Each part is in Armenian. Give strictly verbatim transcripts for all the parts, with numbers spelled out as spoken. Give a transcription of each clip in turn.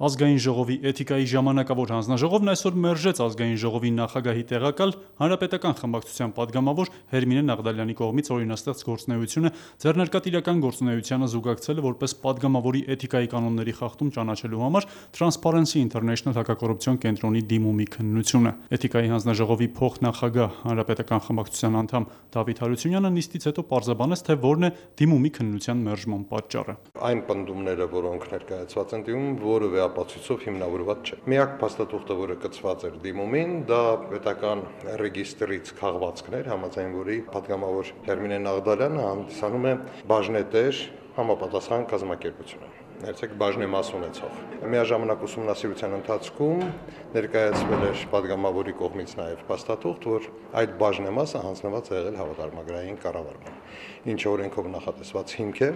Ազգային ժողովի էթիկայի ժամանակավոր հանձնաժողովն այսօր մերժեց ազգային ժողովի նախագահի տեղակալ Հանրապետական խմբակցության падգամավոր Հերմինե Նաղդալյանի կողմից օրինաստեղծ գործունեությունը ձեռնարկատիրական գործունեությանը զուգակցելը որպես падգամավորի էթիկայի կանոնների խախտում ճանաչելու համար Transparency International հակակոռուպցիոն կենտրոնի դիմումի քննությունը։ Էթիկայի հանձնաժողովի փոխնախագահ Հանրապետական խմբակցության անդամ Դավիթ Հարությունյանը նիստից հետո պարզաբանեց, թե որն է դիմումի քննության մերժման պատճառը։ Այն պնդումները, որոնք ներկայացված են դիմում, որևէ ապացույցով հիմնավորված չէ։ Միակ փաստաթուղթը, որը կցված էր դիմումին, դա պետական ռեգիստրից քաղվածքներ, համաձայն որի падգամավոր Հերմինե Նաղդալյանը հանդիսանում է բաժնետեր համապատասխան կազմակերպությունը։ Ներեցեք բաժնեմաս ունեցող։ Միաժամանակ ուսումնասիրության ընթացքում ներկայացվել էր падգամավորի կողմից նաև փաստաթուղթ, որ այդ բաժնեմասը հանձնված է եղել հավատարմագրային կառավարման, ինչը օրենքով նախատեսված հիմք է,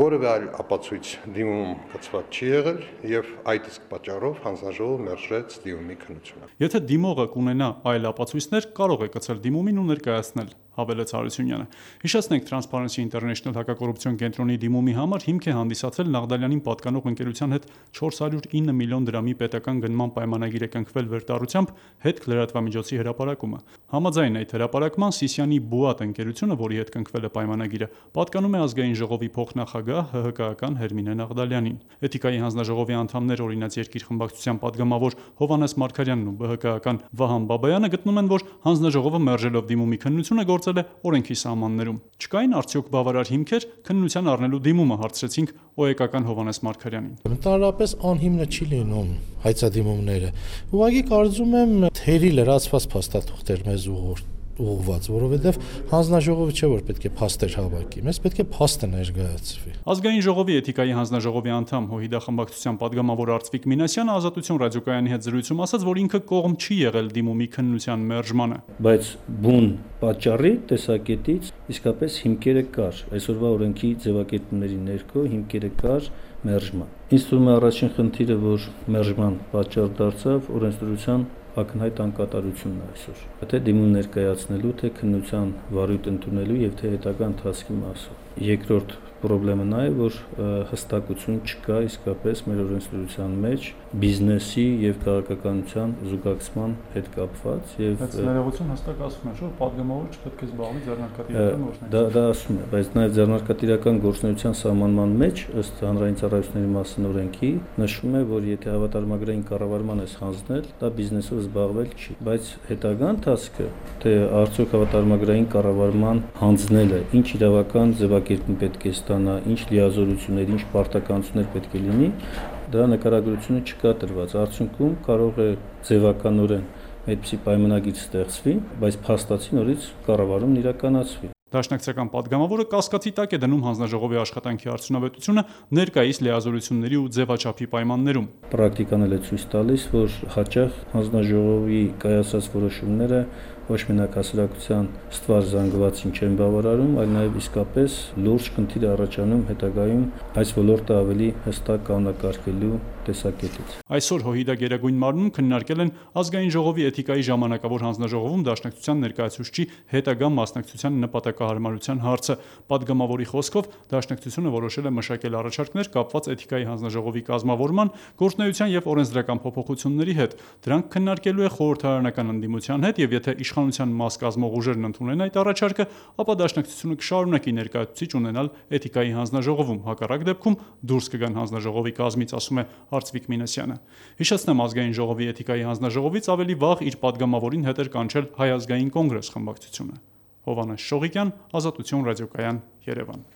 որևէ այլ ապացույց դիմում կցված չի եղել եւ այդ իսկ պատճառով հանձնաժողովը մերժեց դիմումի քննությունը։ Եթե դիմողը կունենա այլ ապացույցներ, կարող է կցել դիմումին ու ներկայացնել, հավելեց Հարությունյանը։ Հիշեցնենք, Transparency International հակակոռուպցիոն կենտրոնի դիմումի համար հիմք է հանդիսացել Նաղդալյանին պատկանող ընկերության հետ չորս հարյուր ինը միլիոն դրամի պետական գնման պայմանագիր է կնքվել վերտառությամբ հետ լրատվամիջոցի հրապարակումը։ Համաձայն այդ հրապարակման Սիսիանի Բուատ ընկերությունը, որի հետ կնքվել է պայմանագիրը, պատկանում է ազգային ժողովի փոխնախագահ ՀՀԿ-ական Հերմինե Նաղդալյանին։ Էթիկայի հանձնաժողովի անդամներ օրինաց երկիր խմբակցության падգամավոր Հովհաննես Մարգարյանն ու ԲՀԿ-ական Վահան Բաբայանը գտնում են, որ հանձնաժողովը մերժելով դիմումի քննությունը գործել է օրենքի սահմաններում։ Չկային արդյոք բավարար հիմքեր քննության առնելու դիմումը, հարցրեցինք ՕԵԿ-ական Հովհաննես Մարգարյանին։ Ընդհանրապես անհիմն չի լինում հայցադիմումները։ Ուղղակի կարծում եմ թերի լրացված փաստաթուղթեր մեզ ուղղված, որովհետև հանձնաժողովը չէ, որ պետք է փաստեր հավաքի, մեզ պետք է փաստը ներկայացվի։ Ազգային ժողովի էթիկայի հանձնաժողովի անդամ ՀՅԴ խմբակցության падգամավոր Արծվիկ Մինասյանը Ազատություն ռադիոկայանի հետ զրույցում ասաց, որ ինքը կողմ չի եղել դիմումի քննության մերժմանը։ Բայց բուն պատճառի տեսակետից իսկապես հիմքերը կար։ Այսօրվա օրենքի ձևակերպումների ներքո հիմքերը կար մերժման։ Ինձ թվում է առաջին խնդիրը, որ մերժման պատճառ դարձավ օրենսդրության ակնհայտ անկատարությունն է այսօր։ Թե դիմում ներկայացնելու, թե քննության վարույթ ընդունելու եւ թե հետագա ընթացքի մասով։ Երկրորդ պրոբլեմը նա է, որ հստակություն չկա իսկապես մեր օրենսդրության մեջ բիզնեսի եւ քաղաքականության զուգակցման հետ կապված եւ Բայց ներողություն հստակ ասում են, որ падգամավորը չպետք է զբաղվի ձեռնարկատիրական գործունեությամբ։ Դա դա ասում է, բայց նաեւ ձեռնարկատիրական գործունեության սահմանման մեջ ըստ հանրային ծառայությունների մասին օրենքի նշվում է, որ եթե հավատարմագրային կառավարման ես հանձնել, դա բիզնեսով զբաղվել չի, բայց հետագա ընթացքը, թե արդյոք հավատարմագրային կառավարման հանձնելը ինչ իրավական ձևակերպում պետք է ստանա, ինչ լիազորություններ, ինչ պարտականություններ պետք է լինի, դա նկարագրությունը չկա տրված։ Արդյունքում կարող է ձևականորեն այդպիսի պայմանագիր ստեղծվի, բայց փաստացի նորից կառավարումն իրականացվի։ Դաշնակցական падգամավորը կասկածի տակ է դնում հանձնաժողովի աշխատանքի արդյունավետությունը ներկայիս լիազորությունների ու ձևաչափի պայմաններում։ Պրակտիկան էլ է ցույց տալիս, որ հաճախ հանձնաժողովի կայացած որոշումները ոչ մենակ հասարակության ստվար զանգվածին չեն բավարարում, այլ նաև իսկապես լուրջ խնդիր է առաջանում հետագայում այս ոլորտը ավելի հստակ կանոնակարգելու տեսակետից։ Այսօր ՀՅԴ Գերագույն մարմնում քննարկել են ազգային ժողովի էթիկայի ժամանակավոր հանձնաժողովում դաշնակցության ներկայացուցչի հետագա մասնակցության նպատակահարմարության հարցը։ Падգամավորի խոսքով դաշնակցությունը որոշել է մշակել առաջարկներ կապված էթիկայի հանձնաժողովի կազմավորման, գործունեության եւ օրենսդրական փոփոխությունների հետ։ Դրանք քննարկելու է խորհրդարանական ընդդիմության հետ եւ եթե իշխանության մաս կազմող ուժերն ընդունեն այդ առաջարկը, ապա դաշնակցությունը կշարունակի ներկայացուցիչ ունենալ էթիկայի հանձնաժողովում։ Հակառակ դեպքում դուրս կգան հանձնաժողովի կազմից, ասում է Արծվիկ Մինասյանը։ Հիշեցնեմ, ազգային ժողովի էթիկայի հանձնաժողովից ավելի վաղ իր падգամավորին հետ էր կանչել Հայ ազգային կոնգրես խմբակցությունը։ Հովհաննես Շողիկյան, Ազատություն ռադիոկայան, Երևան։